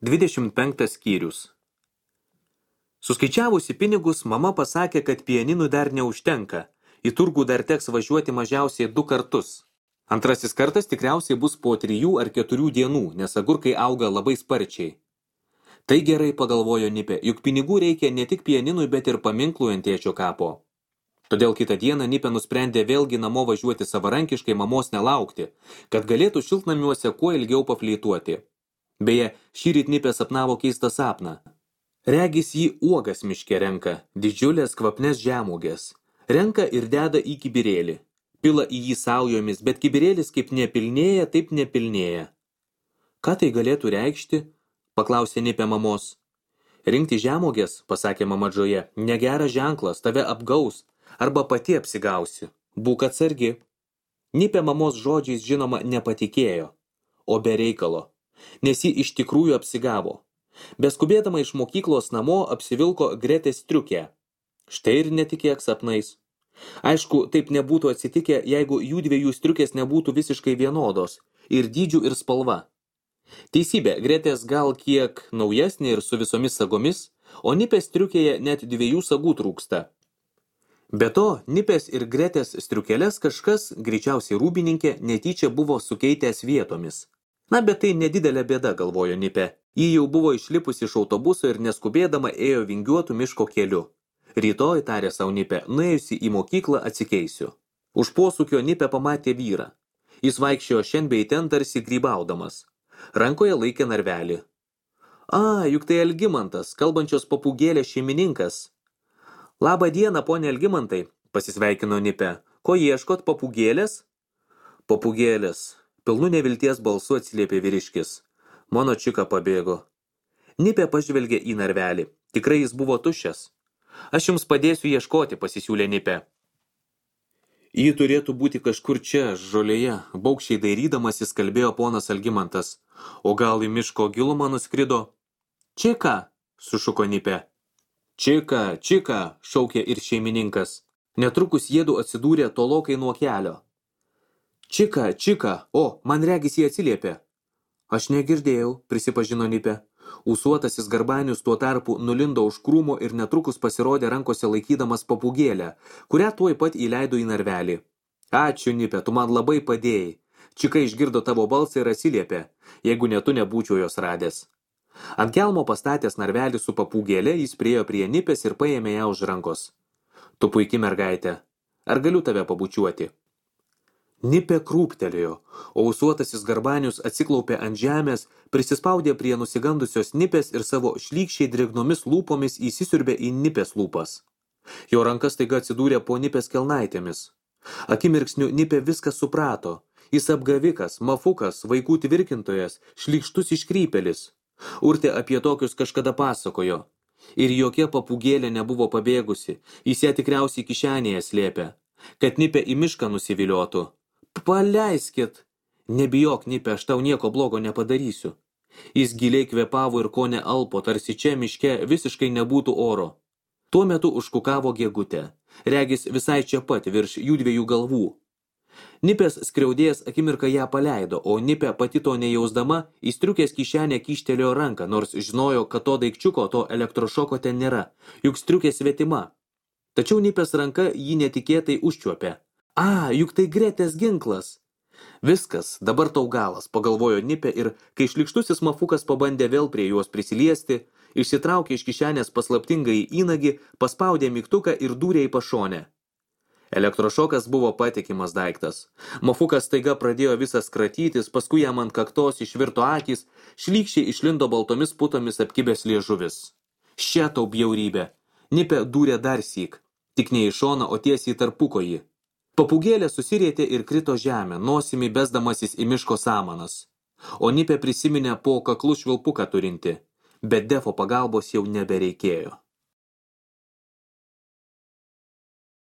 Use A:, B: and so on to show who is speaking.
A: 25 skyrius. Suskaičiavusi pinigus, mama pasakė, kad pianinui dar neužtenka. Į turgų dar teks važiuoti mažiausiai 2 kartus. Antrasis kartas tikriausiai bus po 3 ar 4 dienų, nes agurkai auga labai sparčiai. Tai gerai, pagalvojo Nipė, juk pinigų reikia ne tik pianinui, bet ir paminklui ant tėčio kapo. Todėl kitą dieną Nipė nusprendė vėlgi namo važiuoti savarankiškai, mamos nelaukti, kad galėtų šiltnamiuose kuo ilgiau pafleituoti. Beje, šįryt Nipė sapnavo keistą sapną. Regis jį uogas miške renka, didžiulės kvapnes žemuogės. Renka ir deda į kibirėlį. Pila į jį saujomis, bet kibirėlis kaip nepilnėja, taip nepilnėja. Ką tai galėtų reikšti? Paklausė Nipė mamos. Rinkti žemuogės, pasakė mama Džoja, negeras ženklas, tave apgaus, arba pati apsigausi. Būk atsargi. Nipė mamos žodžiais žinoma nepatikėjo, o be reikalo, nes ji iš tikrųjų apsigavo. Beskubėdama iš mokyklos namo apsivilko Gretės striukę. Štai ir netikėk sapnais. Aišku, taip nebūtų atsitikę, jeigu jų dviejų striukės nebūtų visiškai vienodos, ir dydžių, ir spalva. Teisybė, Gretės gal kiek naujesnė ir su visomis sagomis, o Nipės striukėje net 2 sagų trūksta. Be to, Nipės ir Gretės striukeles kažkas, greičiausiai rūbininkė, netyčia buvo sukeitęs vietomis. Na, bet tai nedidelė bėda, galvojo Nipė. Ji jau buvo išlipusi iš autobuso ir neskubėdama ėjo vingiuotų miško keliu. Rytoj, tarė sau Nipė, nuėjusi į mokyklą atsikeisiu. Už posūkio Nipė pamatė vyrą. Jis vaikščiojo šen bei ten tarsi grybaudamas. Rankoje laikė narvelį. Juk tai Algimantas, kalbančios papūgėlės šeimininkas. Labą dieną, ponė Algimantai, pasisveikino Nipė. Ko ieškot, papūgėlės? Papūgėlės. Pilnu nevilties balsu atsiliepė vyriškis. Mano čika pabėgo. Nipė pažvelgė į narvelį. Tikrai jis buvo tuščias. Aš jums padėsiu ieškoti, pasisiūlė Nipė. Ji turėtų būti kažkur čia, žolėje, baugščiai dairydamasis kalbėjo ponas Algimantas. O gal į miško gilumą nuskrido? Čika, sušuko Nipė. Čika, čika, šaukė ir šeimininkas. Netrukus jiedu atsidūrė tolokai nuo kelio. Čika, čika, man regis jį atsiliepė. Aš negirdėjau, prisipažino Nipė. Ūsuotasis Garbanius tuo tarpu nulindo už krūmo ir netrukus pasirodė rankose laikydamas papūgėlę, kurią tuoj pat įleido į narvelį. Ačiū, Nipė, tu man labai padėjai. Čika išgirdo tavo balsą ir atsiliepė, jeigu ne tu nebūčiau jos radęs. Ant kelmo pastatęs narvelį su papūgėlė, jis priėjo prie Nipės ir paėmė ją už rankos. Tu puiki mergaitė. Ar galiu tave pabučiuoti? Nipė krūptelėjo, o ūsuotasis Garbanius atsiklaupė ant žemės, prisispaudė prie nusigandusios Nipės ir savo šlykščiai drėgnomis lūpomis įsisiurbė į Nipės lūpas. Jo rankas staiga atsidūrė po Nipės kelnaitėmis. Akimirksniu Nipė viską suprato. Jis apgavikas, mafukas, vaikų tvirkintojas, šlykštus iškrypelis. Urtė apie tokius kažkada pasakojo. Ir jokia papūgėlė nebuvo pabėgusi, jis ją tikriausiai kišenėje slėpė, kad Nipė į mišką nusiviliotų. Paleiskit. Nebijok, Nipė, aš tau nieko blogo nepadarysiu. Jis giliai kvėpavo ir kone alpo, tarsi čia miške visiškai nebūtų oro. Tuo metu užkukavo Gegutė. Regis visai čia pat virš jų 2 galvų. Nipės skriaudėjas akimirką ją paleido, o Nipė pati to nejausdama į striukės kišenę kyštelėjo ranką, nors žinojo, kad to daikčiuko, to elektrošoko ten nėra, juk striukė svetima. Tačiau Nipės ranka jį netikėtai užčiuopė. Juk tai Gretės ginklas. Viskas, dabar tau galas, pagalvojo Nipė ir, kai šlykštusis mafukas pabandė vėl prie juos prisiliesti, išsitraukė iš kišenės paslaptingą įnagį, paspaudė mygtuką ir dūrė į pašonę. Elektrošokas buvo patikimas daiktas. Mafukas staiga pradėjo visas kratytis, paskui jam ant kaktos išvirto akys, šlykščiai išlindo baltomis putomis apkibęs liežuvis. Šia tau bjaurybė. Nipė dūrė dar syk, tik ne į šoną, o tiesiai į tarpukojį. Papūgėlė susirietė ir krito žemę, nosimi besdamasis į miško samanas. O Nipė prisiminė po kaklu švilpuką turinti, bet Defo pagalbos jau nebereikėjo.